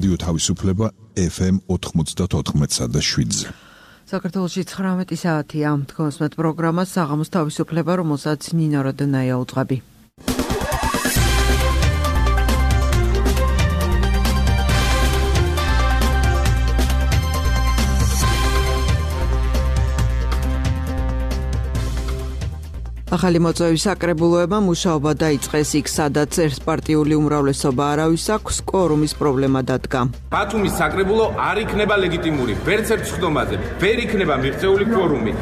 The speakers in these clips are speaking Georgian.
რადიო თავისუფლება FM 94.7-ზე. საქართველოში 19 საათია. თქვენსმეთ პროგრამა საღამოს თავისუფლება, რომელსაც ნინო როდონაია უძღვები. ახალი მოწვევის საკრებულოება მუშაობა დაიწყეს იქ, სადაც ერთპარტიული უმრავლესობა არავის აქვს, კვორუმის პრობლემა დადგა. ბათუმის საკრებულო არ იქნება ლეგიტიმური, ვერც ერთ სხდომაზე, ვერ იქნება მიღწეული კვორუმი.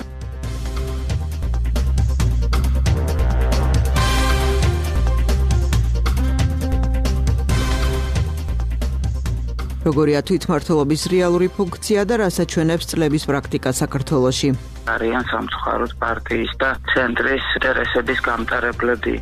როგორია თვითმმართველობის რეალური ფუნქცია და რას აჩვენებს წლების პრაქტიკა საქართველოში? არიან სამწუხაროდ პარტიის და ცენტრის ინტერესების გამტარებლები.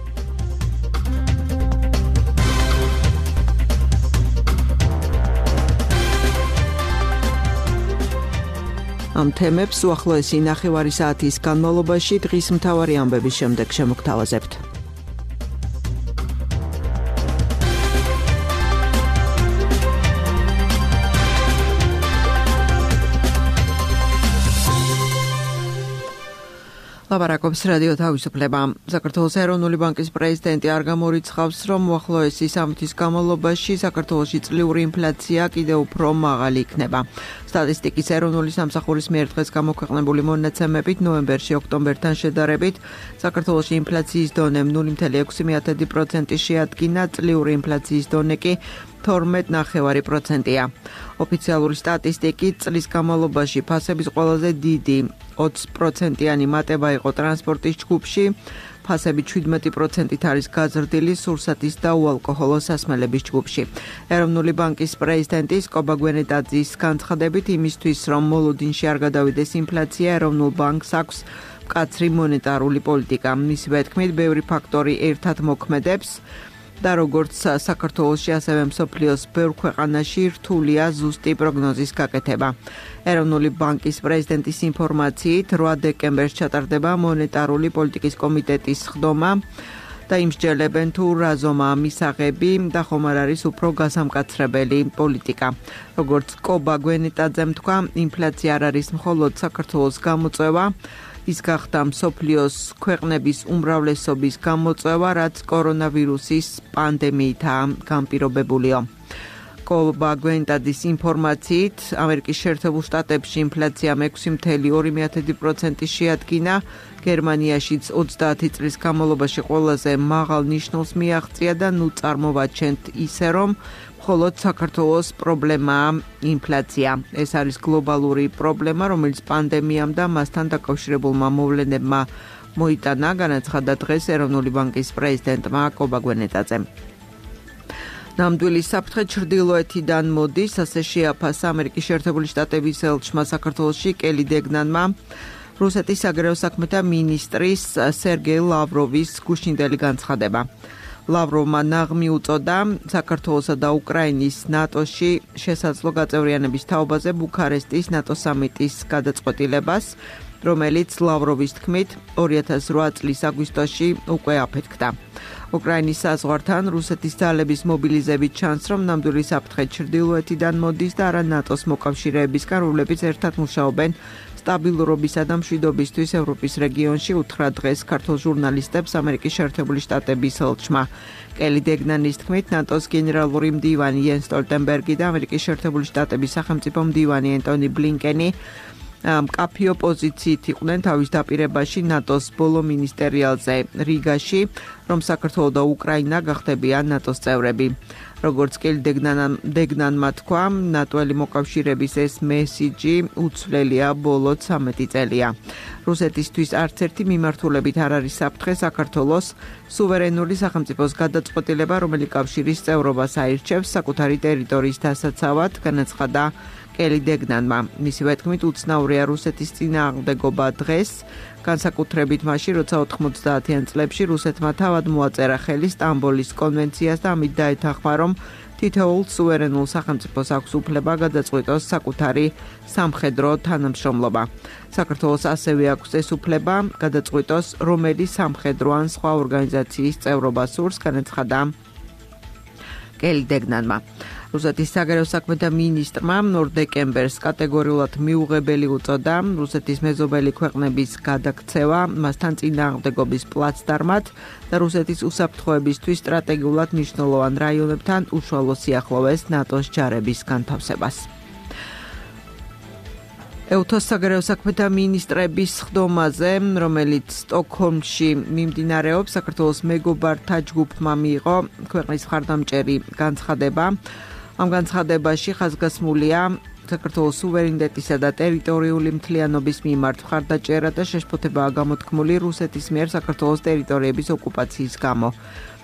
ამ თემებს უახლოესი ნახევარი საათის განმავლობაში დღის მთავარი ამბების შემდეგ შემოგთავაზებთ. ლაპარაკობს რადიო თავისუფლება. საქართველოს ეროვნული ბანკის პრეზიდენტი არ გამორიცხავს, რომ უახლოესი სამთის განმავლობაში საქართველოში წლიური ინფლაცია კიდევ უფრო მაღალი იქნება. სტატისტიკის ეროვნული სამსახურის მიერ დღეს გამოქვეყნებული მონაცემებით ნოემბერში ოქტომბერთან შედარებით საქართველოში ინფლაციის დონე 0.6% შეადგინა, წლიური ინფლაციის დონე კი 12.9%-ია. ოფიციალური სტატისტიკით წლის განმავლობაში ფასების ყველაზე დიდი 20%-იანი მატება იყო ტრანსპორტის ჯგუფში, ფასები 17%-ით არის გაზრდილი სურსათის და უალკოჰოლო სასმელების ჯგუფში. ეროვნული ბანკის პრეზიდენტის კობა გვენეტაძის განცხადებით, იმისთვის რომ მოლოდინში არ გადავიდეს ინფლაცია, ეროვნულ ბანკს აქვს მკაცრი მონეტარული პოლიტიკა. მისივე თქმით, ბევრი ფაქტორი ერთად მოქმედებს და როგორც საქართველოში, ასევე მსოფლიოს ბევრ ქვეყანაში რთულია ზუსტი პროგნოზის გაკეთება. ეროვნული ბანკის პრეზიდენტის ინფორმაციით 8 დეკემბერს ჩატარდება მონეტარული პოლიტიკის კომიტეტის სხდომა და იმსჯელებენ თუ რა ზომაა მისაღები და ხომ არ არის უფრო გასამკაცრებელი პოლიტიკა. როგორც კობა გვენეტაძემ თქვა, ინფლაცია არ არის მხოლოდ საქართველოს გამოწვევა, ის გახდა მსოფლიოს ქვეყნების უმრავლესობის გამოწვევა, რაც კორონავირუსის პანდემიითაა განპირობებულიო. კობა გვენეტაძის ინფორმაციით, ამერიკის შეერთებულ შტატებში ინფლაცია 6.2% შეადგინა, გერმანიაშიც 30 წლის განმავლობაში ყველაზე მაღალ ნიშნულს მიაღწია და ნუ წარმოვაჩენთ ისე, რომ მხოლოდ საქართველოს პრობლემაა ინფლაცია. ეს არის გლობალური პრობლემა, რომელიც პანდემიამ და მასთან დაკავშირებულმა მოვლენებმა მოიტანა, განაცხადა დღეს ეროვნული ბანკის პრეზიდენტმა კობა გვენეტაძემ. ნამდვილი საფრთხე ჩრდილოეთიდან მოდის, ასე შეაფასა ამერიკის შეერთებული შტატების ელჩმა საქართველოში კელი დეგნანმა რუსეთის საგარეო საქმეთა მინისტრის სერგეი ლავროვის გუშინდელი განცხადება. ლავროვმა ნაღმი უწოდა საქართველოსა და უკრაინის ნატოში შესაძლო გაწევრიანების თაობაზე ბუქარესტის ნატო სამიტის გადაწყვეტილებას, რომელიც ლავროვის თქმით 2008 წლის აგვისტოში უკვე აფეთქდა. უკრაინის საზღვართან რუსეთის ძალების მობილიზებით ჩანს, რომ ნამდვილი საფრთხე ჩრდილოეთიდან მოდის და არა ნატოს მოკავშირეებისგან, რომლებიც ერთად მუშაობენ სტაბილურობისა და მშვიდობისთვის ევროპის რეგიონში, უთხრა დღეს ქართულ ჟურნალისტებს ამერიკის შეერთებული შტატების ელჩმა. კელი დეგნანის თქმით, ნატოს გენერალური მდივანი იენს სტოლტენბერგი და ამერიკის შეერთებული შტატების სახელმწიფო მდივანი ენტონი ბლინკენი მკაფიო პოზიციით იყვნენ თავის დაპირებაში ნატოს ბოლო მინისტერიალზე რიგაში, რომ საქართველო და უკრაინა გახდებიან ნატოს წევრები. როგორც კელი დეგნანმა თქვა, ნატოელი მოკავშირეების ეს მესიჯი უცვლელია ბოლო 13 წელია. რუსეთისთვის არც ერთი მიმართულებით არ არის საფრთხე საქართველოს სუვერენული სახელმწიფოს გადაწყვეტილება, რომელიც კავშირის წევრობას აირჩევს საკუთარი ტერიტორიის დასაცავად, განაცხადა კელი დეგნანმა. მისივე თქმით, უცნაურია რუსეთის წინააღმდეგობა დღეს, განსაკუთრებით მაშინ, როცა 90-იან წლებში რუსეთმა თავად მოაწერა ხელი სტამბოლის კონვენციას და ამით დაეთანხმა, რომ თითოეულ სუვერენულ სახელმწიფოს აქვს უფლება გადაწყვიტოს საკუთარი სამხედრო თანამშრომლობა. საქართველოს ასევე აქვს ეს უფლება გადაწყვიტოს, რომელი სამხედრო ან სხვა ორგანიზაციის წევრობა სურს, განაცხადა კელი დეგნანმა. რუსეთის საგარეო საქმეთა მინისტრმა 2 დეკემბერს კატეგორიულად მიუღებელი უწოდა რუსეთის მეზობელი ქვეყნების გადაქცევა მასთან წინააღმდეგობის პლაცდარმად და რუსეთის უსაფრთხოებისთვის სტრატეგიულად მნიშვნელოვან რაიონებთან უშუალო სიახლოვეს ნატოს ჯარების განთავსებას. ეუთოს საგარეო საქმეთა მინისტრების სხდომაზე, რომელიც სტოკჰოლმში მიმდინარეობს, საქართველოს მეგობართა ჯგუფმა მიიღო ქვეყნის მხარდამჭერი განცხადება. ამ განცხადებაში ხაზგასმულია საქართველოს სუვერენიტეტისა და ტერიტორიული მთლიანობის მიმართ მხარდაჭერა და შეშფოთებაა გამოთქმული რუსეთის მიერ საქართველოს ტერიტორიების ოკუპაციის გამო.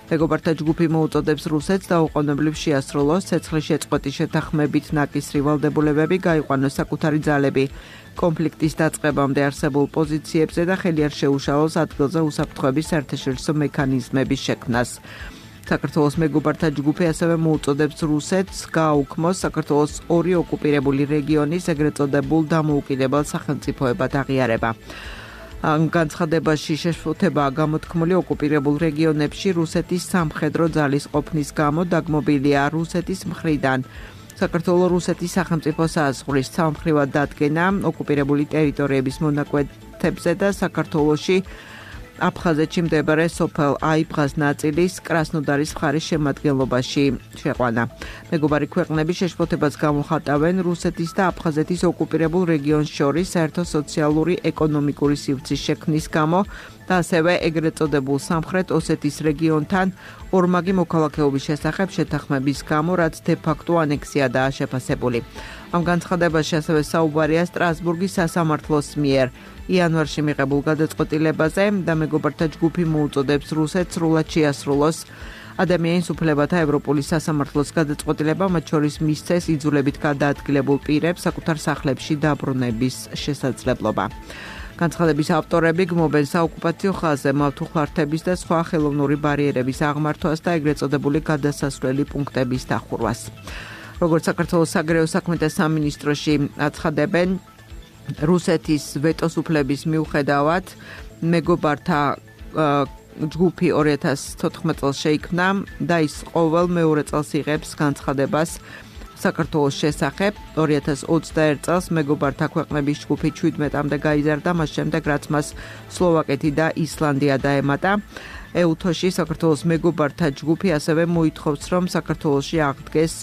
მეგობართა ჯგუფი მოუწოდებს რუსეთს დაუყოვნებლივ შეასრულოს ცეცხლის შეწყვეტის შეთანხმებით ნაკისრი ვალდებულებები, გაიყვანოს საკუთარი ძალები კონფლიქტის დაწყებამდე არსებულ პოზიციებზე და ხელი არ შეუშალოს ადგილზე უსაფრთხოების საერთაშორისო მექანიზმების შექმნას. საქართველოს მეგობართა ჯგუფი ასევე მოუწოდებს რუსეთს გააუქმოს საქართველოს 2 ოკუპირებული რეგიონის ეგრეთ წოდებულ დამოუკიდებელ სახელმწიფოებად აღიარება. ამ განცხადებაში შეშფოთებაა გამოთქმული ოკუპირებულ რეგიონებში რუსეთის სამხედრო ძალის ყოფნის გამო დაგმობილია რუსეთის მხრიდან. საქართველოს რუსეთის სახელმწიფო საზღვრის სამხრივად დადგენა ოკუპირებული ტერიტორიების მონაკვეთებზე და საქართველოში აფხაზეთში მდებარე სოფელ აიბღას ნაწილის კრასნოდარის მხარის შემადგენლობაში შეყვანა. მეგობარი ქვეყნები შეშფოთებას გამოხატავენ რუსეთის და აფხაზეთის ოკუპირებულ რეგიონს შორის საერთო სოციალური ეკონომიკური სივრცის შექმნის გამო და ასევე ეგრეთ წოდებულ სამხრეთ ოსეთის რეგიონთან ორმაგი მოქალაქეობის შესახებ შეთანხმების გამო, რაც დე-ფაქტო ანექსიადაა შეფასებული. ამ განცხადებაში ასევე საუბარია სტრასბურგის სასამართლოს მიერ იანვარში მიღებულ გადაწყვეტილებაზე და მეგობართა ჯგუფი მოუწოდებს რუსეთს სრულად შეასრულოს ადამიანის უფლებათა ევროპული სასამართლოს გადაწყვეტილება, მათ შორის მისცეს იძულებით გადაადგილებულ პირებს საკუთარ სახლებში დაბრუნების შესაძლებლობა. განცხადების ავტორები გმობენ საოკუპაციო ხაზზე მავთუხლართების და სხვა ხელოვნური ბარიერების აღმართვას და ეგრეთ წოდებული გადასასვლელი პუნქტების დახურვას. როგორც საქართველოს საგარეო საქმეთა სამინისტროში აცხადებენ, რუსეთის ვეტოს უფლების მიუხედავად მეგობართა ჯგუფი 2014 წელს შეიქმნა და ის ყოველ მეორე წელს იღებს განცხადებას საქართველოს შესახებ. 2021 წელს მეგობართა ქვეყნების ჯგუფი 17-მდე გაიზარდა, მას შემდეგ რაც მას სლოვაკეთი და ისლანდია დაემატა. ეუთოში საქართველოს მეგობართა ჯგუფი ასევე მოითხოვს, რომ საქართველოში აღდგეს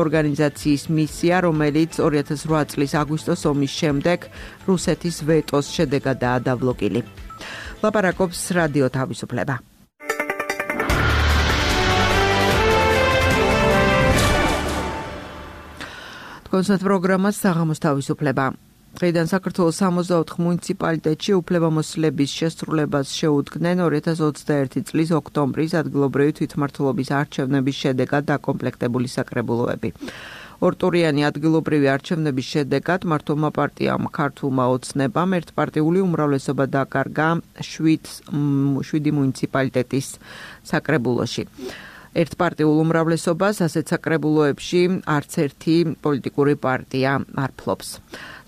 ორგანიზაციის მისია, რომელიც 2008 წლის აგვისტოს ომის შემდეგ რუსეთის ვეტოს შედეგადაა დაბლოკილი. ლაპარაკობს რადიო თავისუფლება. კონცერტ პროგრამას საღამოს თავისუფლება. დღეიდან საქართველოს 64 მუნიციპალიტეტში უფლებამოსილების შესრულებას შეუდგნენ 2021 წლის ოქტომბრის ადგილობრივი თვითმმართველობის არჩევნების შედეგად დაკომპლექტებული საკრებულოები. ორტურიანი ადგილობრივი არჩევნების შედეგად მართლმა პარტიამ ქართულმა ოცნებამ ერთპარტიული უმრავლესობა დაკარგა 7 მუნიციპალიტეტის საკრებულოში. ერთპარტიულ უმრავლესობას ასეთ საკრებულოებში არც ერთი პოლიტიკური პარტია არ ფლობს.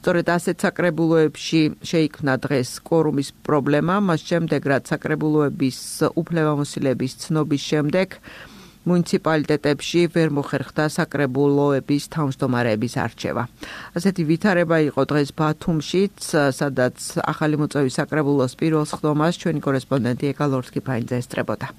სწორედ ასეთ საკრებულოებში შეიქმნა დღეს კვორუმის პრობლემა, მას შემდეგ რაც საკრებულოების უფლებამოსილების ცნობის შემდეგ მუნიციპალიტეტებში ვერ მოხერხდა საკრებულოების თავმჯდომარეების არჩევა. ასეთი ვითარება იყო დღეს ბათუმშიც, სადაც ახალი მოწვევის საკრებულოს პირველ სხდომას ჩვენი კორესპონდენტი ეკა ლორთქიფაინძე ესწრებოდა.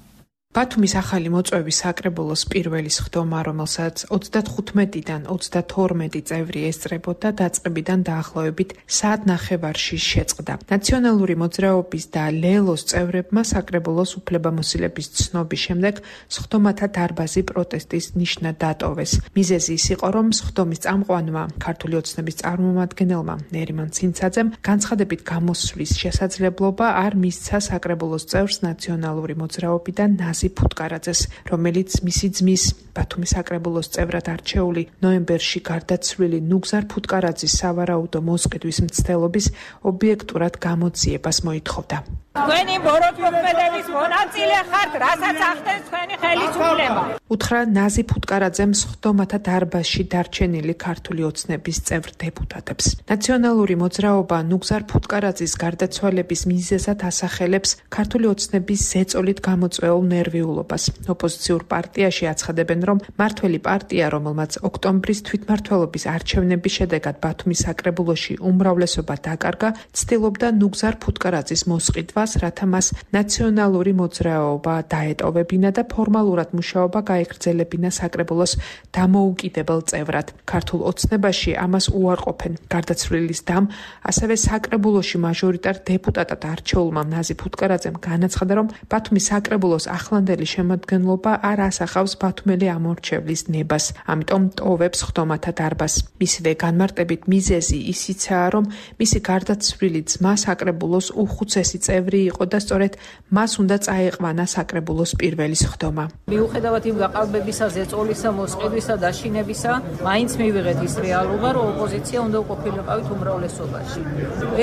ბათუმის ახალი მოწვევის საკრებულოს პირველი სხდომა, რომელსაც 35-დან 32 წევრი ესწრებოდა, დაწყებიდან დაახლოებით საათნახევარში შეწყდა. ნაციონალური მოძრაობის და ლელოს წევრებმა საკრებულოს უფლებამოსილების ცნობის შემდეგ სხდომათა დარბაზი პროტესტის ნიშნად დატოვეს. მიზეზი ის იყო, რომ სხდომის წამყვანმა ქართული ოცნების წარმომადგენელმა ნერიმან ცინცაძემ განცხადებით გამოსვლის შესაძლებლობა არ მისცა საკრებულოს წევრს ნაციონალური მოძრაობიდან ნაზი ფუტკარაძეს, რომელიც მისი ძმის ბათუმის საკრებულოს წევრად არჩეული ნოემბერში გარდაცვლილი ნუგზარ ფუტკარაძის სავარაუდო მოსყიდვის მცდელობის ობიექტურად გამოძიებას მოითხოვდა. თქვენი ბოროტმოქმედების მონაწილე ხართ, რასაც ახდენს თქვენი ხელისუფლება. უთხრა ნაზი ფუტკარაძემ სხდომათა დარბაზში დარჩენილი ქართული ოცნების წევრ დეპუტატებს. ნაციონალური მოძრაობა ნუგზარ ფუტკარაძის გარდაცვალების მიზეზად ასახელებს ქართული ოცნების ზეწოლით გამოწვეულ ნერვიულობას. ოპოზიციურ პარტიაში აცხადებენ, რომ მართველი პარტია, რომელმაც ოქტომბრის თვითმმართველობის არჩევნების შედეგად ბათუმის საკრებულოში უმრავლესობა დაკარგა, ცდილობდა ნუგზარ ფუტკარაძის მოსყიდვას, რათა მას ნაციონალური მოძრაობა დაეტოვებინა და ფორმალურად მუშაობა გაეგრძელებინა საკრებულოს დამოუკიდებელ წევრად. ქართულ ოცნებაში ამას უარყოფენ. გარდაცვლილის დამ, ასევე საკრებულოში მაჟორიტარ დეპუტატად არჩეულმა ნაზი ფუტკარაძემ განაცხადა, რომ ბათუმის საკრებულოს ახლანდელი შემადგენლობა არ ასახავს ბათუმელი ამორჩევლის ნებას, ამიტომ ტოვებს სხდომათა დარბაზს. მისივე განმარტებით მიზეზი ისიცაა, რომ მისი გარდაცვლილი ძმა საკრებულოს უხუცესი წევრი იყო და სწორედ მას უნდა წაეყვანა საკრებულოს პირველი სხდომა. მიუხედავად იმ გაყალბებისა, ზეწოლისა, მოსყიდვისა, დაშინებისა, მაინც მივიღეთ ის რეალობა, რომ ოპოზიცია უნდა ყოფილიყავით უმრავლესობაში.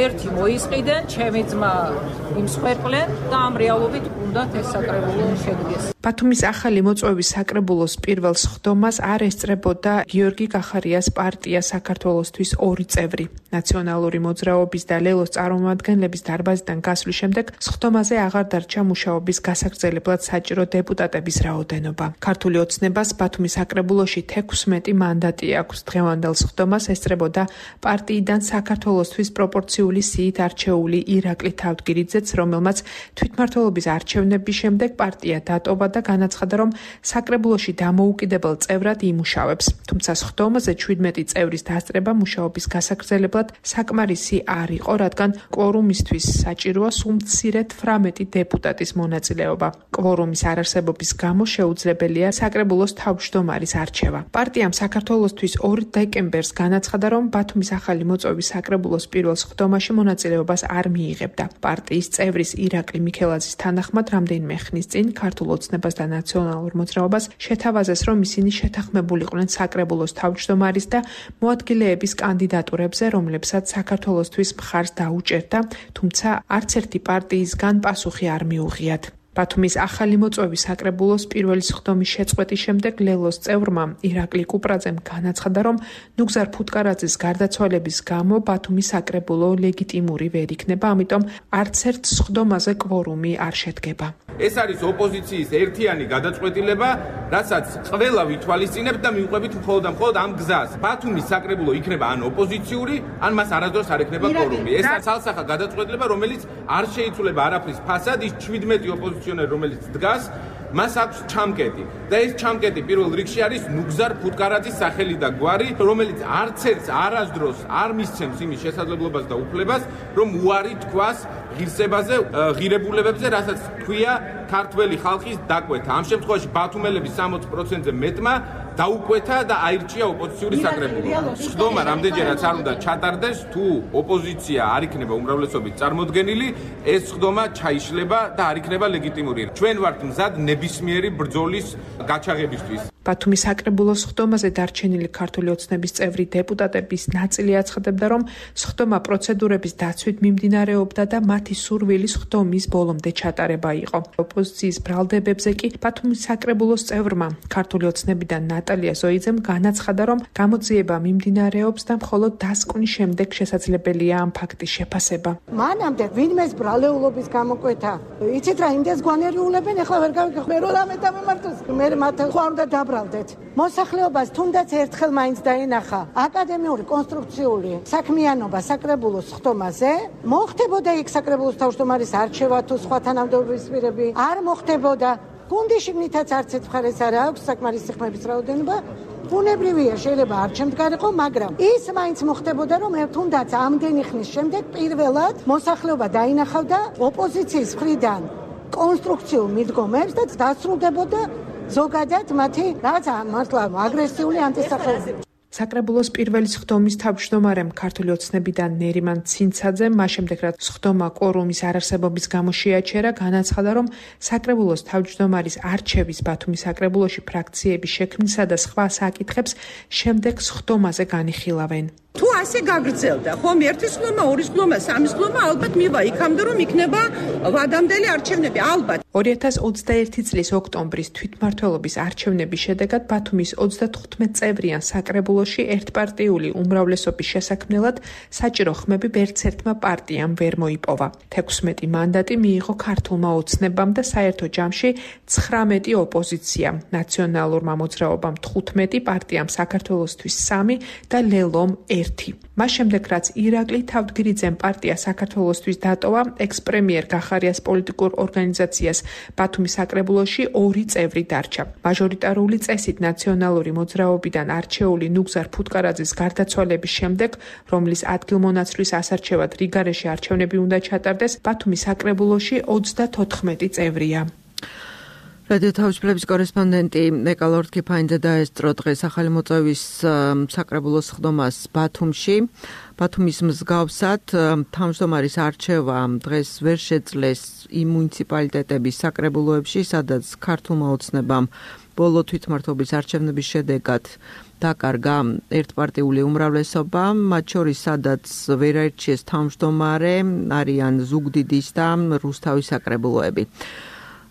ერთი მოისყიდენ, ჩემი ძმა იმსხვერპლენ და ამ რეალობით უნდათ ეს საკრებულო შედგეს. ბათუმის ახალი მოწვევის საკრებულოს პირველ სხდომას არ ესწრებოდა გიორგი კახარიას პარტია საქართველოსთვის 2 წევრი. ნაციონალური მოძრაობის და ლელოს წარმომადგენლების დარბაზიდან გასვლის შემდეგ სხდომაზე აღარ დარჩა მუშაობის გასაგრძელებლად საჭირო დეპუტატების რაოდენობა. ქართული ოცნებას ბათუმის საკრებულოში 16 მანდატი აქვს. დღევანდელ სხდომას ესწრებოდა პარტიიდან საქართველოსთვის პროპორციული სიით არჩეული ირაკლი თავდგირიძეც, რომელმაც თვითმმართველობის არჩევნების შემდეგ პარტია დატოვა და განაცხადა, რომ საკრებულოში დამოუკიდებელ წევრად იმუშავებს. თუმცა სხდომაზე 17 წევრის დასწრება მუშაობის გასაგრძელებლად საკმარისი არ იყო, რადგან კვორუმისთვის საჭიროა სულ მცირედ 18 დეპუტატის მონაწილეობა. კვორუმის არარსებობის გამო შეუძლებელია საკრებულოს თავმჯდომარის არჩევა. პარტიამ საქართველოსთვის 2 დეკემბერს განაცხადა, რომ ბათუმის ახალი მოწვევის საკრებულოს პირველ სხდომაში მონაწილეობას არ მიიღებდა. პარტიის წევრის ირაკლი მიქელაძის თანახმად რამდენიმე ხნის წინ ქართულ ოცნებას და ნაციონალურ მოძრაობას შეთავაზეს, რომ ისინი შეთანხმებულიყვნენ საკრებულოს თავმჯდომარის და მოადგილეების კანდიდატურებზე, რომლებსაც საქართველოსთვის მხარს დაუჭერდა, თუმცა არც ერთი პარტიისგან პასუხი არ მიუღიათ. ბათუმის ახალი მოწვევის საკრებულოს პირველი სხდომის შეწყვეტის შემდეგ ლელოს წევრმა ირაკლი კუპრაძემ განაცხადა, რომ ნუგზარ ფუტკარაძის გარდაცვალების გამო ბათუმის საკრებულო ლეგიტიმური ვერ იქნება, ამიტომ არც ერთ სხდომაზე კვორუმი არ შედგება. ეს არის ოპოზიციის ერთიანი გადაწყვეტილება, რასაც ყველა ვითვალისწინებთ და მივყვებით მხოლოდ ამ გზას. ბათუმის საკრებულო იქნება ან ოპოზიციური, ან მას არასდროს არ ექნება კვორუმი. ეს არის ალსახა გადაწყვეტილება, რომელიც არ შეიცვლება არაფრის ფასად, ის 17 ოპოზიციონერი, რომელიც დგას, მას აქვს ჩამკეტი და ეს ჩამკეტი პირველ რიგში არის ნუგზარ ფუტკარაძის სახელი და გვარი, რომელიც არც ერთს არასდროს არ მისცემს იმის შესაძლებლობას და უფლებას, რომ უარი თქვას ღირსებაზე, ღირებულებებზე, რასაც თქვია ქართველი ხალხის დაკვეთა. ამ შემთხვევაში ბათუმელების 60%-ზე მეტმა დაუკვეთა და აირჩია ოპოზიციური საკრებულო. სხდომა რამდენჯერაც არ უნდა ჩატარდეს, თუ ოპოზიცია არ იქნება უმრავლესობით წარმოდგენილი, ეს სხდომა ჩაიშლება და არ იქნება ლეგიტიმური. ჩვენ ვართ მზად ნებისმიერი ბრძოლის გაჩაღებისთვის. ბათუმის საკრებულოს სხდომაზე დარჩენილი ქართული ოცნების წევრი დეპუტატების ნაწილი აცხადებდა, რომ სხდომა პროცედურების დაცვით მიმდინარეობდა და მათი სურვილი სხდომის ბოლომდე ჩატარება იყო. ოპოზიციის ბრალდებებზე კი ბათუმის საკრებულოს წევრმა ქართული ოცნებიდან ნატალია ზოიძემ განაცხადა, რომ გამოძიება მიმდინარეობს და მხოლოდ დასკვნის შემდეგ შესაძლებელია ამ ფაქტის შეფასება. მანამდე ვინმეს ბრალეულობის გამოკვეთა. იცით რა, იმდეს გვანერიულებენ, ახლა ვერ გავიგე, მე რო რამე დამემართოს, მე მათ ხო არ უნდა დაბრალდეთ. მოსახლეობას თუნდაც ერთხელ მაინც დაენახა აკადემიური კონსტრუქციული საქმიანობა საკრებულოს სხდომაზე, მოხდებოდა იქ საკრებულოს თავმჯდომარის არჩევა თუ სხვა თანამდებობისპირები, არ მოხდებოდა. გუნდი შიგნითაც არც ერთ მხარეს არ აქვს საკმარისი ხმების რაოდენობა. ბუნებრივია, შეიძლება არ ჩემდგარიყო, მაგრამ ის მაინც მოხდებოდა, რომ თუნდაც ამდენი ხნის შემდეგ პირველად მოსახლეობა დაინახავდა ოპოზიციის მხრიდან კონსტრუქციულ მიდგომებს და დასრულდებოდა ზოგადად მათი რაღაც მართლა აგრესიული ანტისახელები. საკრებულოს პირველი სხდომის თავმჯდომარემ ქართული ოცნებიდან ნერიმან ცინცაძემ მას შემდეგ რაც სხდომა კვორუმის არარსებობის გამო შეაჩერა, განაცხადა, რომ საკრებულოს თავმჯდომარის არჩევის ბათუმის საკრებულოში ფრაქციების შექმნისა და სხვა საკითხებს შემდეგ სხდომაზე განიხილავენ. თუ ასე გაგრძელდა, ხომ ერთის ხლომა, ორის ხლომა, სამის ხლომა ალბათ მივა იქამდე რომ იქნება ვადამდელი არჩევნები, ალბათ. 2021 წლის ოქტომბრის თვითმმართველობის არჩევნების შედეგად ბათუმის 35 წევრიან საკრებულოში ერთპარტიული უმრავლესობის შესაქმნელად საჭირო ხმები ვერც ერთმა პარტიამ ვერ მოიპოვა. 16 მანდატი მიიღო ქართულმა ოცნებამ და საერთო ჯამში 19 ოპოზიციამ, ნაციონალურმა მოძრაობამ 15, პარტიამ საქართველოსთვის 3 და ლელომ 1. მას შემდეგ რაც ირაკლი თავდგირიძემ პარტია საქართველოსთვის დატოვა, ექს-პრემიერ გახარიას პოლიტიკურ ორგანიზაციას ბათუმის საკრებულოში 2 წევრი დარჩა. მაჟორიტარული წესით ნაციონალური მოძრაობიდან არჩეული ნუგზარ ფუტკარაძის გარდაცვალების შემდეგ, რომლის ადგილმონაცვლის ასარჩევად რიგარეში არჩევნები უნდა ჩატარდეს, ბათუმის საკრებულოში 34 წევრია. რადიო თავისუფლების კორესპონდენტი ეკალორდ კიფაინძე დაესწრო დღეს ახალი მოწვევის საკრებულოს ხდომას ბათუმში. ბათუმის მსგავსად თავმჯდომარის არჩევა დღეს ვერ შეძლეს იმ მუნიციპალიტეტების საკრებულოებში, სადაც ქართულმა ოცნებამ ბოლო თვითმმართველობის არჩევნების შედეგად დაკარგა ერთპარტიული უმრავლესობა, მათ შორის სადაც ვერ აირჩიეს თავმჯდომარე, არიან ზუგდიდის და რუსთავის საკრებულოები.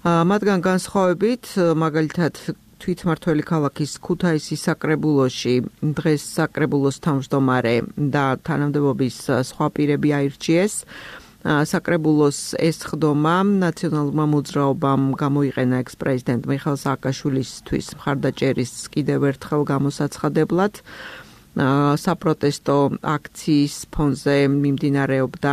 მათგან განსხვავებით, მაგალითად თვითმმართველი ქალაქის ქუთაისის საკრებულოში დღეს საკრებულოს თავმჯდომარე და თანამდებობის სხვა პირები აირჩიეს. საკრებულოს ეს ხდომა ნაციონალურმა მოძრაობამ გამოიყენა ექს-პრეზიდენტ მიხეილ სააკაშვილისთვის მხარდაჭერის კიდევ ერთხელ გამოსაცხადებლად. საპროტესტო აქციის ფონზე მიმდინარეობდა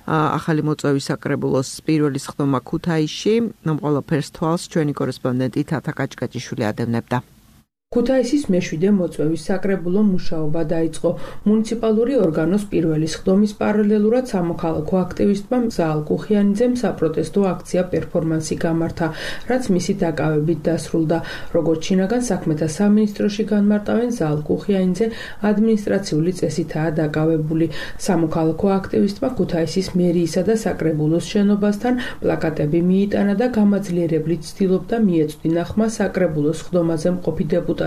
ახალი მოწვევის საკრებულოს პირველი ხდომა ქუთაისში. ყველაფერს თვალს ჩვენი კორესპონდენტი თათა კაჭკაჭიშვილი ადევნებდა. ქუთაისის მეშვიდე მოწვევის საკრებულო მუშაობა დაიწყო. მუნიციპალური ორგანოს პირველი ხდომის პარალელურად სამოქალაქო აქტივისტმა ზაალ კუხიანიძემ საპროტესტო აქცია პერფორმანსი გამართა, რაც მისი დაკავებით დასრულდა. როგორც შინაგან საქმეთა სამინისტროში განმარტავენ, ზაალ კუხიანიძე ადმინისტრაციული წესითაა დაკავებული. სამოქალაქო აქტივისტმა ქუთაისის მერიისა და საკრებულოს შენობასთან პლაკატები მიიტანა და გამაძლიერებლით ცდილობდა მიეწვდინა ხმა საკრებულოს ხდომაზე მყოფი დეპუტატებისთვის.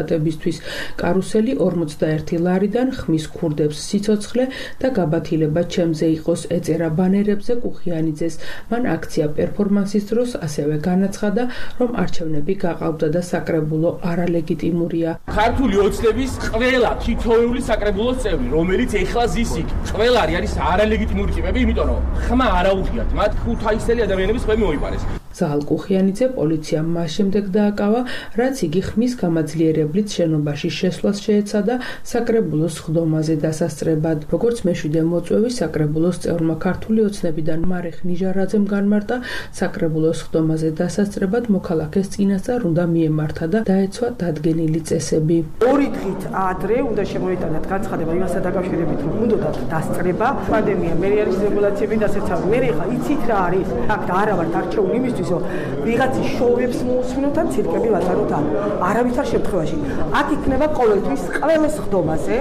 კარუსელი 41 ლარიდან ხმის ქურდებს სიცოცხლე და გაბათილება ჩემზე იყოს ეწერა ბანერებზე კუხიანიძეს. მან აქცია პერფორმანსის დროს ასევე განაცხადა, რომ არჩევნები გაყავდა და საკრებულო არალეგიტიმურია. ქართული ოცნების ყველა თითოეული საკრებულოს წევრი, რომელიც ეხლა ზის იქ, ყველარი არის არალეგიტიმური ტიპები, იმიტომ რომ ხმა არა უღიათ მათ ქუთაისელი ადამიანების ხმები მოიპარეს. ზაალ კუხიანიძე პოლიციამ მას შემდეგ დააკავა, რაც იგი ხმის გამაძლიერებლით შენობაში შესვლას შეეცადა საკრებულოს ხდომაზე დასასწრებად. როგორც მეშვიდე მოწვევის საკრებულოს წევრმა ქართული ოცნებიდან მარეხ ნიჟარაძემ განმარტა, საკრებულოს ხდომაზე დასასწრებად მოქალაქეს წინასწარ უნდა მიემართა და დაეცვა დადგენილი წესები. 2 დღით ადრე უნდა შემოიტანათ განცხადება იმასთან დაკავშირებით, რომ უნდათ დასწრება. პანდემია, მე არის რეგულაციები დასაცავი. მე ხა იცით რა არის? აქ არა ვართ არჩეული იმისთვის, რომ ვიღაცის შოუებს მოусმინოთ ან ცირკები ვატაროთ ამ. არავითარ შემთხვევაში. აქ იქნება ყოველთვის ყველას ხდომაზე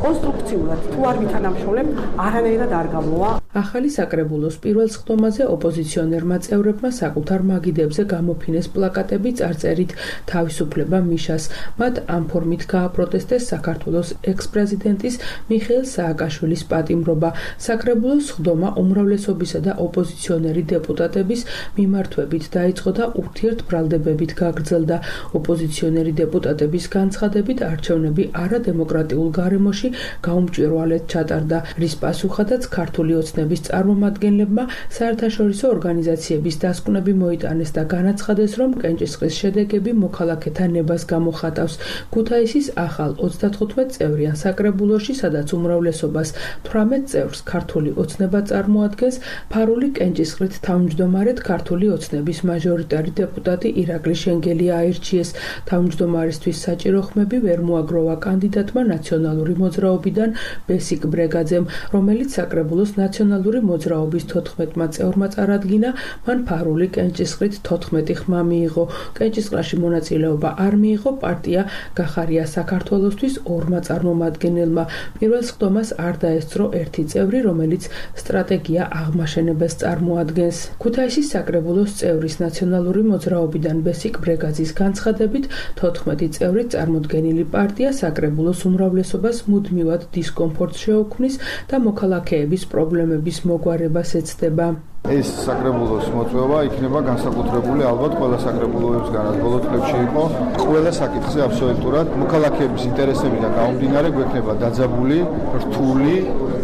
კონსტრუქციულად თუ არ ვითანამშრომლებთ, არანაირად არ გამოვა. ახალი საკრებულოს პირველ ხდომაზე ოპოზიციონერმა წევრებმა საკუთარ მაგიდებზე გამოფინეს პლაკატები წარწერით თავისუფლება მიშას. მათ ამ ფორმით გააპროტესტეს საქართველოს ექს-პრეზიდენტის მიხეილ სააკაშვილის პატიმრობა. საკრებულოს ხდომა უმრავლესობისა და ოპოზიციონერი დეპუტატების მიმართვებით დაიწყო და ურთიერთბრალდებებით გაგრძელდა. ოპოზიციონერი დეპუტატების განცხადებით არჩევნები არადემოკრატიულ გარემოში გაუმჭვირვალედ ჩატარდა, რის პასუხადაც ქართული ოცნების წარმომადგენლებმა საერთაშორისო ორგანიზაციების დასკვნები მოიტანეს და განაცხადეს, რომ კენჭისყრის შედეგები მოქალაქეთა ნებას გამოხატავს. ქუთაისის ახალ 35 წევრიან საკრებულოში, სადაც უმრავლესობას 18 წევრს ქართული ოცნება წარმოადგენს, ფარული კენჭისყრით თავმჯდომარედ ქართული ოცნების მაჟორიტარი დეპუტატი ირაკლი შენგელია აირჩიეს. თავმჯდომარისთვის საჭირო ხმები ვერ მოაგროვა კანდიდატმა ნაციონალური მოძრაობიდან ბესიკ ბრეგაძემ, რომელიც საკრებულოს ნაციონალური ნაციონალური მოძრაობის 14-მა წევრმა წარადგინა, მან ფარული კენჭისყრით 14 ხმა მიიღო. კენჭისყრაში მონაწილეობა არ მიიღო პარტია გახარია საქართველოსთვის 2-მა წარმომადგენელმა. პირველ სხდომას არ დაესწრო ერთი წევრი, რომელიც სტრატეგია აღმაშენებას წარმოადგენს. ქუთაისის საკრებულოს წევრის ნაციონალური მოძრაობიდან ბესიკ ბრეგაძის განცხადებით 14 წევრი წარმოდგენილი პარტია საკრებულოს უმრავლესობას მუდმივად დისკომფორტს შეუქმნის და მოქალაქეების პრობლემების მოგვარებას ეცდება. ეს საკრებულოს მოწვევა იქნება განსაკუთრებული ალბათ ყველა საკრებულოებისგანაც ბოლო წლებში იყო. ყველა საკითხზე აბსოლუტურად მოქალაქეების ინტერესებიდან გამომდინარე გვექნება დაძაბული, რთული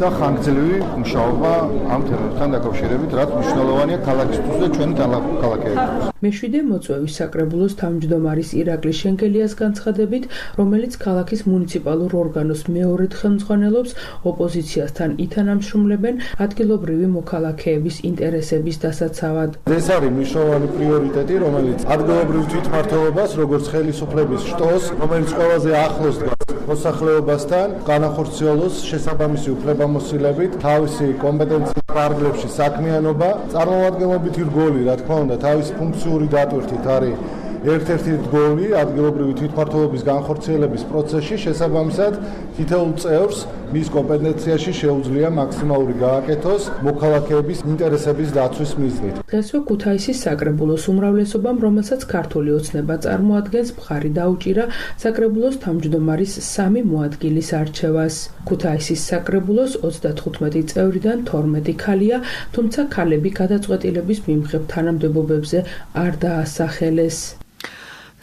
და ხანგრძლივი მუშაობა ამ თემებთან დაკავშირებით, რაც მნიშვნელოვანია ქალაქისთვის და ჩვენი ქალაქეებისთვის. მეშვიდე მოწვევის საკრებულოს თავმჯდომარის ირაკლი შენგელიას განცხადებით, რომელიც ქალაქის მუნიციპალურ ორგანოს მეორედ ხელმძღვანელობს, ოპოზიციასთან ითანამშრომლებენ ადგილობრივი მოქალაქეების ინტერესების დასაცავად. ეს არის მნიშვნელოვანი პრიორიტეტი, რომელიც ადგილობრივ თვითმმართველობას, როგორც ხელისუფლების შტოს, რომელიც ყველაზე ახლოს დგას მოსახლეობასთან, განახორციელოს შესაბამისი უფლებამოსილებით, თავისი კომპეტენციის ფარგლებში საქმიანობა, წარმომადგენლობითი რგოლი, რა თქმა უნდა, თავისი ფუნქციური დატვირთით არის ერთ-ერთი რგოლი ადგილობრივი თვითმმართველობის განხორციელების პროცესში, შესაბამისად თითოეულ წევრს მის კომპეტენციაში შეუძლია მაქსიმალური გააკეთოს მოქალაქეების ინტერესების დაცვის მიზნით. დღესვე ქუთაისის საკრებულოს უმრავლესობამ, რომელსაც ქართული ოცნება წარმოადგენს, მხარი დაუჭირა საკრებულოს თავმჯდომარის 3 მოადგილის არჩევას. ქუთაისის საკრებულოს 35 წევრიდან 12 ქალია, თუმცა ქალები გადაწყვეტილების მიმღებ თანამდებობებზე არ დაასახელეს.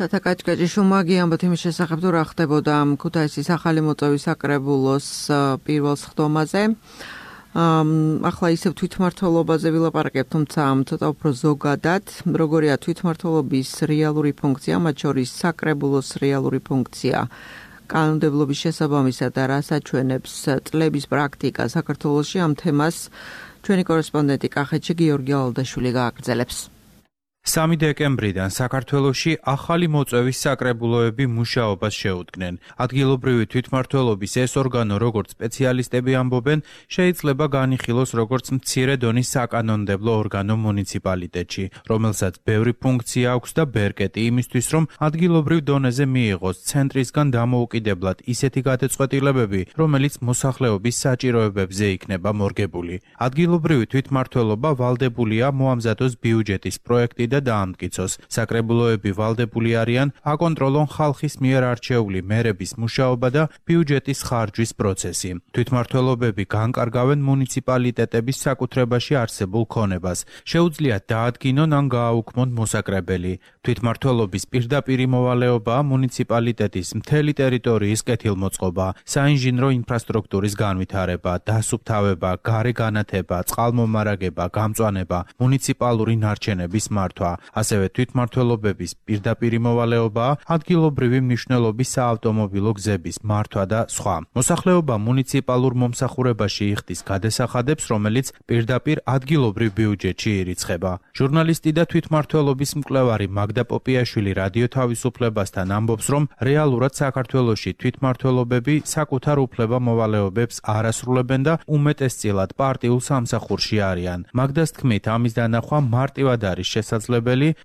თათაკაჭკაჭი შუმაგი ამბობთ იმის შესახებ, თუ რა ხდებოდა ქუთაისის ახალი მოწვევის საკრებულოს პირველ სხდომაზე. ახლა ისევ თვითმმართველობაზე ვილაპარაკებ, თუმცა ცოტა უფრო ზოგადად, როგორია თვითმმართველობის რეალური ფუნქცია, მათ შორის საკრებულოს რეალური ფუნქცია. კანონმდებლობის შესაბამისად და რას აჩვენებს წლების პრაქტიკა საქართველოში, ამ თემას ჩვენი კორესპონდენტი კახეთში გიორგი ალდაშვილი გააგრძელებს. 3 დეკემბრიდან საქართველოში ახალი მოწვევის საკრებულოები მუშაობას შეუდგნენ. ადგილობრივი თვითმმართველობის ეს ორგანო, როგორც სპეციალისტები ამბობენ, შეიძლება განიხილოს როგორც მცირე დონის საკანონმდებლო ორგანო მუნიციპალიტეტში, რომელსაც ბევრი ფუნქცია აქვს და ბერკეტი იმისთვის, რომ ადგილობრივ დონეზე მიიღოს ცენტრისგან დამოუკიდებლად ისეთი გადაწყვეტილებები, რომელიც მოსახლეობის საჭიროებებზე იქნება მორგებული. ადგილობრივი თვითმმართველობა ვალდებულია მოამზადოს ბიუჯეტის პროექტი და დაამტკიცოს. საკრებულოები ვალდებული არიან აკონტროლონ ხალხის მიერ არჩეული მერების მუშაობა და ბიუჯეტის ხარჯვის პროცესი. თვითმმართველობები განკარგავენ მუნიციპალიტეტების საკუთრებაში არსებულ ქონებას. შეუძლიათ დაადგინონ ან გააუქმონ მოსაკრებელი. თვითმმართველობის პირდაპირი მოვალეობაა მუნიციპალიტეტის მთელი ტერიტორიის კეთილმოწყობა, საინჟინრო ინფრასტრუქტურის განვითარება, დასუფთავება, გარე განათება, წყალმომარაგება, გამწვანება, მუნიციპალური ნარჩენების მართვა. ასევე თვითმმართველობების პირდაპირი მოვალეობაა ადგილობრივი მნიშვნელობის საავტომობილო გზების მართვა და სხვა. მოსახლეობა მუნიციპალურ მომსახურებაში იხდის გადასახადებს, რომელიც პირდაპირ ადგილობრივ ბიუჯეტში ირიცხება. ჟურნალისტი და თვითმმართველობის მკვლევარი მაგდა პოპიაშვილი რადიო თავისუფლებასთან ამბობს, რომ რეალურად საქართველოში თვითმმართველობები საკუთარ უფლება მოვალეობებს არ ასრულებენ და უმეტესწილად პარტიულ სამსახურში არიან. მაგდას თქმით, ამის დანახვა მარტივად არის შესაძლებელი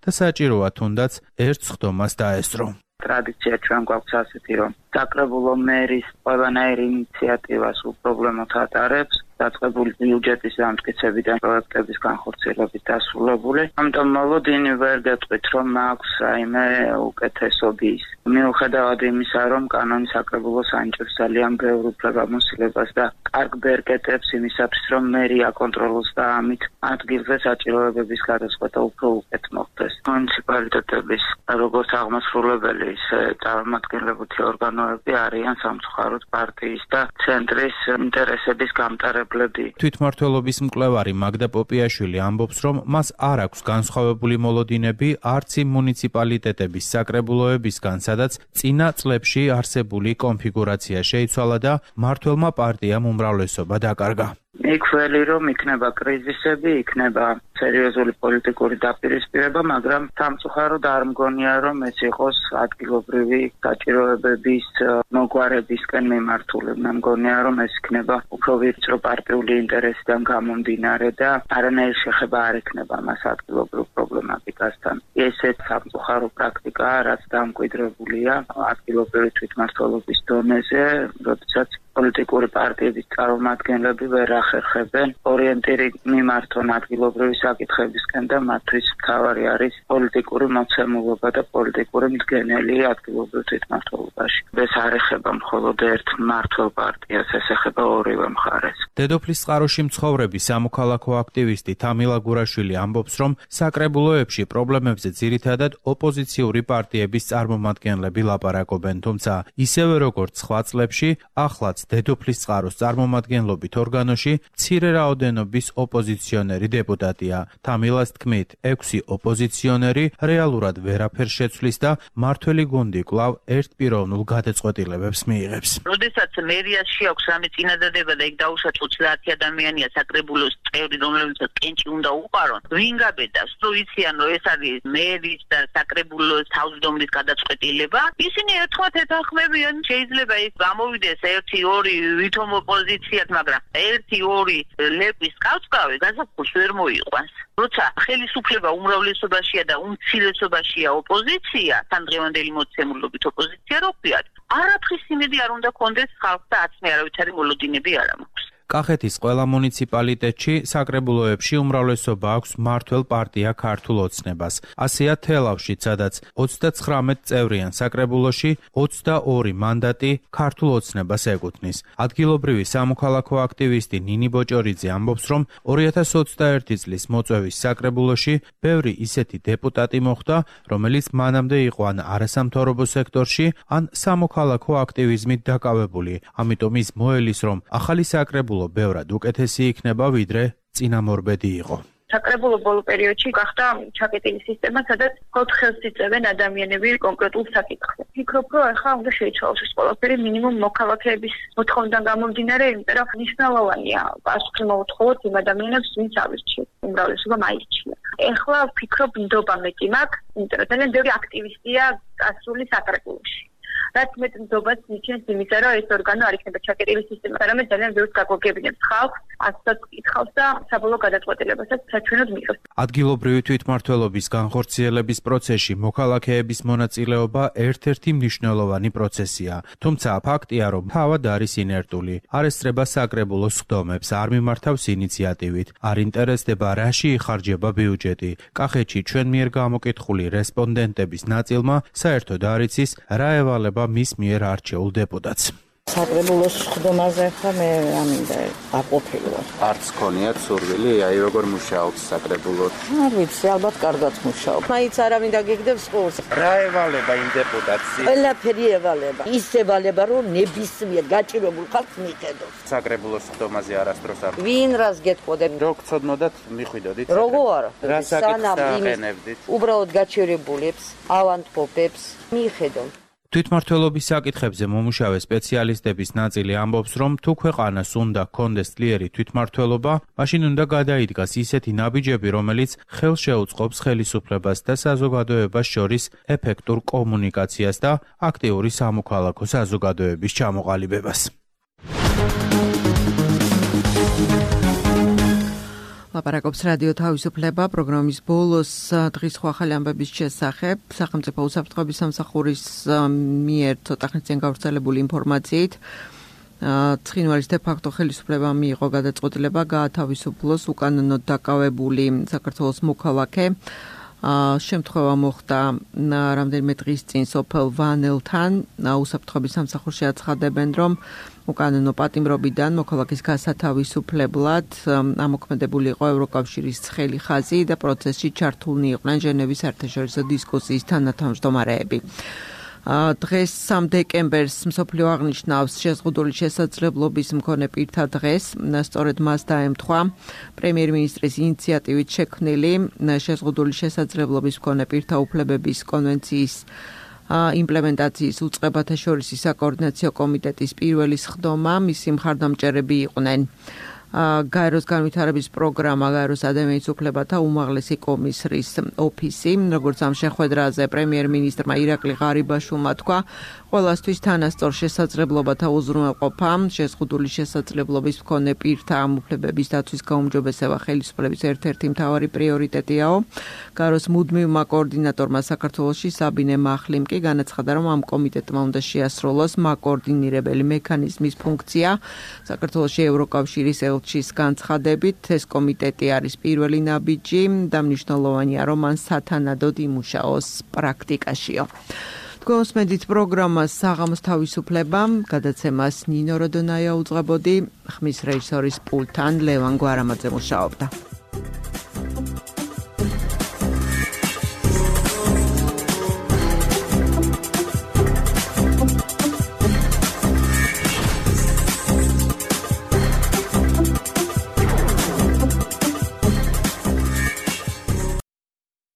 და საჭიროა თუნდაც ერთ სხდომას დაესწრო. ტრადიცია ჩვენ გვაქვს ასეთი, რომ საკრებულო მერის ყველანაირი ინიციატივას უპრობლემოდ ატარებს, დაწყებული ბიუჯეტის დამტკიცებიდან პროექტების განხორციელებით დასრულებული. ამიტომ მოლოდინი ვერ გეტყვით, რომ აქვს რაიმე უკეთესობის. მიუხედავად იმისა, რომ კანონი საკრებულოს ანიჭებს ძალიან ბევრ უფლებამოსილებას და კარგ ბერკეტებს იმისათვის, რომ მერია აკონტროლოს და ამით ადგილზე საჭიროებების გადაწყვეტა უფრო უკეთ მოხდეს. მუნიციპალიტეტების როგორც აღმასრულებელი, ისე წარმომადგენლობითი ორგანოები არიან სამწუხაროდ პარტიის და ცენტრის ინტერესების გამტარებელი. თვითმმართველობის მკვლევარი მაგდა პოპიაშვილი ამბობს, რომ მას არ აქვს განსხვავებული მოლოდინები არც იმ მუნიციპალიტეტების საკრებულოებისგან, სადაც წინა წლებში არსებული კონფიგურაცია შეიცვალა და მმართველმა პარტიამ უმრავლესობა დაკარგა. იქველი რომ იქნება კრიზისები, იქნება სერიოზული პოლიტიკური დაპირისპირება, მაგრამ სამწუხაროდ არ მგონია რომ ეს იყოს ადგილობრივი საჭიროებების მოგვარებისკენ მიმართული. მე მგონია რომ ეს იქნება უფრო ვიწრო პარტიული ინტერესიდან გამომდინარე და არანაირი შეხება არ იქნება მას ადგილობრივ პრობლემატიკასთან. ესეც სამწუხარო პრაქტიკაა, რაც დამკვიდრებულია ადგილობრივი თვითმმართველობის დონეზე, როდესაც პოლიტიკური პარტიების წარმომადგენლები ვერ ახერხებენ ორიენტირი მიმართონ ადგილობრივი საკითხებისკენ და მათთვის მთავარი არის პოლიტიკური მოცემულობა და პოლიტიკური მდგენელი ადგილობრივ თვითმმართველობაში. ეს არ ეხება მხოლოდ ერთ მმართველ პარტიას, ეს ეხება ორივე მხარეს. დედოფლის წყაროში მცხოვრები სამოქალაქო აქტივისტი თამილა გურაშვილი ამბობს, რომ საკრებულოებში პრობლემებზე ძირითადად ოპოზიციური პარტიების წარმომადგენლები ლაპარაკობენ, თუმცა ისევე როგორც სხვა წლებში, ახლაც დედოფლის წყაროს წარმომადგენლობით ორგანოში მცირე რაოდენობის ოპოზიციონერი დეპუტატია. თამილას თქმით, 6 ოპოზიციონერი რეალურად ვერაფერს შეცვლის და მართველი გუნდი კვლავ ერთპიროვნულ გადაწყვეტილებებს მიიღებს. როდესაც მერიას შეაქვს რამე წინადადება და იქ დაუშვათ 30 ადამიანია საკრებულოს წევრი, რომლებსაც კენჭი უნდა უყარონ, ვინ გაბედავს, თუ იციან, რომ ეს არის მერის და საკრებულოს თავმჯდომარის გადაწყვეტილება, ისინი ერთხმად ეთანხმებიან, შეიძლება ის გამოვიდეს 1-2 ვითომ ოპოზიციად, მაგრამ 1-2 ლეპის კავწკავი გაზაფხულს ვერ მოიყვანს. როცა ხელისუფლება უმრავლესობაშია და უმცირესობაშია ოპოზიცია, თანდღევანდელი მოცემულობით ოპოზიცია რო ვქვიათ, არაფრის იმედი არ უნდა კონდეს ხალხს და აცმე არავითარი მოლოდინები არ მაქვს. კახეთის ყველა მუნიციპალიტეტში საკრებულოებში უმრავლესობა აქვს მმართველ პარტია ქართულ ოცნებას. ასეა თელავშიც, სადაც 39 წევრიან საკრებულოში 22 მანდატი ქართულ ოცნებას ეკუთვნის. ადგილობრივი სამოქალაქო აქტივისტი ნინი ბოჭორიძე ამბობს, რომ 2021 წლის მოწვევის საკრებულოში ბევრი ისეთი დეპუტატი მოხვდა, რომელიც მანამდე იყო ან არასამთავრობო სექტორში, ან სამოქალაქო აქტივიზმით დაკავებული. ამიტომ ის მოელის, რომ ახალი საკრებულო ბევრად უკეთესი იქნება, ვიდრე წინამორბედი იყო. საკრებულო ბოლო პერიოდში გახდა ჩაკეტილი სისტემა, სადაც მხოლოდ ხელს იწევენ ადამიანები კონკრეტულ საკითხზე. ფიქრობ, რომ ახლა უნდა შეიცვალოს ეს ყველაფერი მინიმუმ მოქალაქეების მოთხოვნიდან გამომდინარე, იმიტომ რომ მნიშვნელოვანია პასუხი მოუთხოვოთ იმ ადამიანებს, ვინც ავირჩიეთ, უმრავლესობა მაირჩია. ეხლა ვფიქრობ, ნდობა მეტი მაქვს, იმიტომ რომ ძალიან ბევრი აქტივისტია გასული საკრებულოში. რაც მეტ ნდობას ნიშნავს იმისა, რომ ეს ორგანო არ იქნება ჩაკეტილი სისტემა, არამედ ძალიან ბევრს გაგვაგებინებს ხალხს, ასწორად კითხავს და საბოლოო გადაწყვეტილებასაც საჩვენოდ მიიღებს. ადგილობრივი თვითმმართველობის განხორციელების პროცესში მოქალაქეების მონაწილეობა ერთ-ერთი მნიშვნელოვანი პროცესია. თუმცა ფაქტია, რომ თავად არის ინერტული, არ ესწრება საკრებულოს სხდომებს, არ მიმართავს ინიციატივით, არ ინტერესდება რაში იხარჯება ბიუჯეტი. კახეთში ჩვენ მიერ გამოკითხული რესპონდენტების ნაწილმა საერთოდ არ იცის, რა ევალება მის მიერ არჩეულ დეპუტატს. საკრებულოს სხდომაზე ხა მე ამინდა აყოფილი ვარ. არც ქონიათ სურვილი, აი როგორ მუშაობს საკრებულო? არ ვიცი, ალბათ კარგად მუშაობ. მაინც არავინ დაგეგდებს ყურს. რა ევალება იმ დეპუტატს? ყველაფერი ევალება. ის ევალება, რომ ნებისმიერ გაჭირებულ ხალხს მიხედოს. საკრებულოს სხდომაზე არასდროს არ. ვინ რას გეტყოდებ? რო გწოდნოდათ, მიხვიდოდით. როგორ არა? რა საკითხს აყენებდით? უბრალოდ გაჭირებულებს, ავანტყოფებს მიხედონ. თვითმმართველობის საკითხებზე მომუშავე სპეციალისტების ნაწილი ამბობს, რომ თუ ქვეყანას უნდა ჰქონდეს ძლიერი თვითმმართველობა, მაშინ უნდა გადაიდგას ისეთი ნაბიჯები, რომელიც ხელს შეუწყობს ხელისუფლებას და საზოგადოებას შორის ეფექტურ კომუნიკაციას და აქტიური სამოქალაქო საზოგადოების ჩამოყალიბებას. ლაპარაკობს რადიო თავისუფლება პროგრამის ბოლოს დღის ახალი ამბების შესახებ სახელმწიფო უსაფრთხოების სამსახურის მიერ ცოტა ხნის წინ გავრცელებული ინფორმაციით ცხინვალის დე-ფაქტო ხელისუფლებამ მიიღო გადაწყვეტილება გაათავისუფლოს უკანონოდ დაკავებული საქართველოს მოქალაქე. შემთხვევა მოხდა რამდენიმე დღის წინ სოფელ ვანელთან. უსაფრთხოების სამსახურში აცხადებენ, რომ უკანონო პატიმრობიდან მოქალაქის გასათავისუფლებლად ამოქმედებული იყო ევროკავშირის ცხელი ხაზი და პროცესში ჩართულნი იყვნენ ჟენევის საერთაშორისო დისკუსიის თანათავმჯდომარეები. დღეს 3 დეკემბერს მსოფლიო აღნიშნავს შეზღუდული შესაძლებლობის მქონე პირთა დღეს. სწორედ მას დაემთხვა პრემიერ-მინისტრის ინიციატივით შექმნილი შეზღუდული შესაძლებლობის მქონე პირთა უფლებების კონვენციის იმპლემენტაციის უწყებათა შორისი საკოორდინაციო კომიტეტის პირველი სხდომა. მისი მხარდამჭერები იყვნენ გაეროს განვითარების პროგრამა, გაეროს ადამიანის უფლებათა უმაღლესი კომისრის ოფისი, როგორც ამ შეხვედრაზე პრემიერ-მინისტრმა ირაკლი ღარიბაშვილმა თქვა, ყველასთვის თანასწორ შესაძლებლობათა უზრუნველყოფა, შეზღუდული შესაძლებლობის მქონე პირთა ამ უფლებების დაცვის გაუმჯობესება ხელისუფლების ერთ-ერთი მთავარი პრიორიტეტიაო. გაეროს მუდმივმა კოორდინატორმა საქართველოში საბინე მახლიმ კი განაცხადა, რომ ამ კომიტეტმა უნდა შეასრულოს მაკოორდინირებელი მექანიზმის ფუნქცია. საქართველოში ევროკავშირის ელჩის განცხადებით, ეს კომიტეტი არის პირველი ნაბიჯი და მნიშვნელოვანია, რომ მან სათანადოდ იმუშაოს პრაქტიკაშიო. გოსმედით პროგრამას საღამოს თავისუფლება, გადაცემას ნინო როდონაია უძღვებოდი, ხმის რეჟისორის პულტთან ლევან გვარამაძე მუშაობდა.